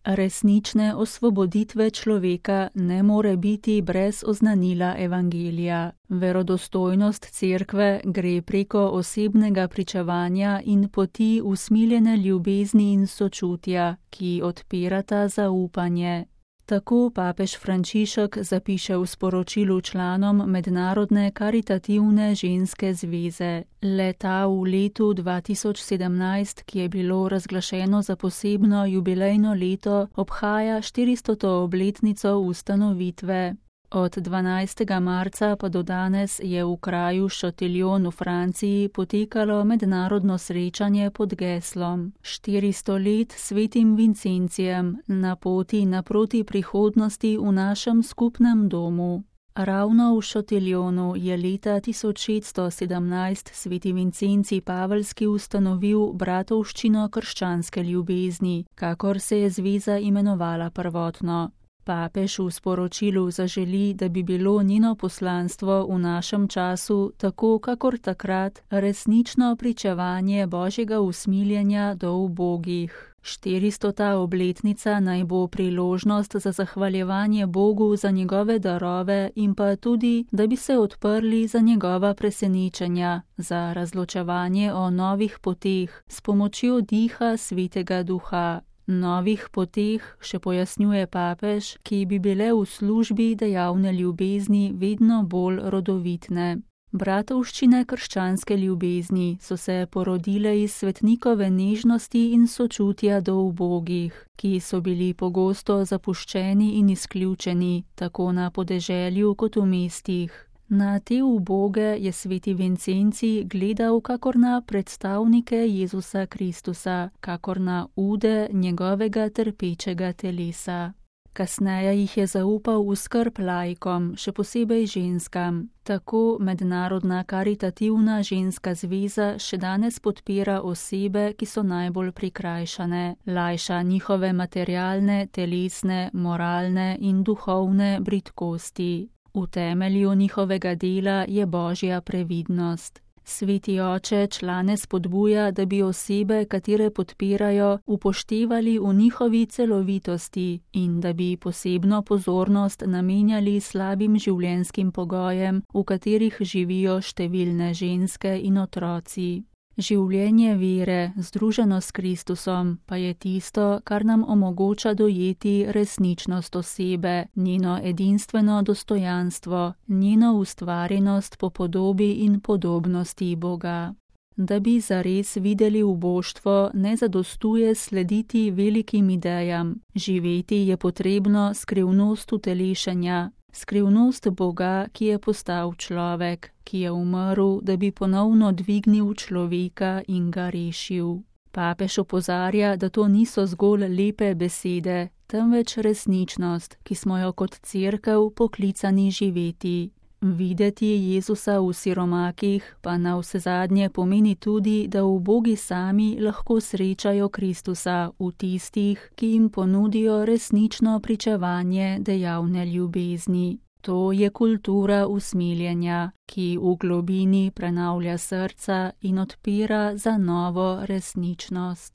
Resnične osvoboditve človeka ne more biti brez oznanila evangelija. Verodostojnost cerkve gre preko osebnega pričevanja in poti usmiljene ljubezni in sočutja, ki odpirata zaupanje. Tako papež Frančišek zapiše v sporočilu članom Mednarodne karitativne ženske zveze. Le-ta v letu 2017, ki je bilo razglašeno za posebno jubilejno leto, obhaja 400. obletnico ustanovitve. Od 12. marca pa do danes je v kraju Châtillon v Franciji potekalo mednarodno srečanje pod geslom 400 let svetim Vincencijem na poti naproti prihodnosti v našem skupnem domu. Ravno v Châtillonu je leta 1617 sveti Vincencij Paveljski ustanovil bratovščino krščanske ljubezni, kakor se je zveza imenovala prvotno. Papež v sporočilu zaželi, da bi bilo njeno poslanstvo v našem času, tako kakor takrat, resnično pričevanje Božjega usmiljenja do ubogih. 400. obletnica naj bo priložnost za zahvaljevanje Bogu za njegove darove in pa tudi, da bi se odprli za njegova presenečenja, za razločevanje o novih poteh s pomočjo diha Svetega Duha. Novih poteh, še pojasnjuje papež, ki bi bile v službi dejavne ljubezni vedno bolj rodovitne. Bratovščine krščanske ljubezni so se porodile iz svetnikove nežnosti in sočutja do ubogih, ki so bili pogosto zapuščeni in izključeni, tako na podeželju kot v mestih. Na te uboge je sveti Vincencij gledal kakor na predstavnike Jezusa Kristusa, kakor na ude njegovega trpečega telesa. Kasneje jih je zaupal v skrb laikom, še posebej ženskam. Tako Mednarodna karitativna ženska zveza še danes podpira osebe, ki so najbolj prikrajšane, lajša njihove materialne, telesne, moralne in duhovne bridkosti. V temelju njihovega dela je Božja previdnost. Sveti oče člane spodbuja, da bi osebe, katere podpirajo, upoštevali v njihovi celovitosti in da bi posebno pozornost namenjali slabim življenjskim pogojem, v katerih živijo številne ženske in otroci. Življenje vere, združeno s Kristusom, pa je tisto, kar nam omogoča dojeti resničnost osebe, njeno edinstveno dostojanstvo, njeno ustvarjenost po podobi in podobnosti Boga. Da bi zares videli uboštvo, ne zadostuje slediti velikim idejam. Živeti je potrebno skrivnost utelešenja, skrivnost Boga, ki je postal človek, ki je umrl, da bi ponovno dvignil človeka in ga rešil. Papež opozarja, da to niso zgolj lepe besede, temveč resničnost, ki smo jo kot cerkev poklicani živeti. Videti Jezusa v siromakih pa navsezadnje pomeni tudi, da ubogi sami lahko srečajo Kristusa v tistih, ki jim ponudijo resnično pričevanje dejavne ljubezni. To je kultura usmiljenja, ki v globini prenavlja srca in odpira za novo resničnost.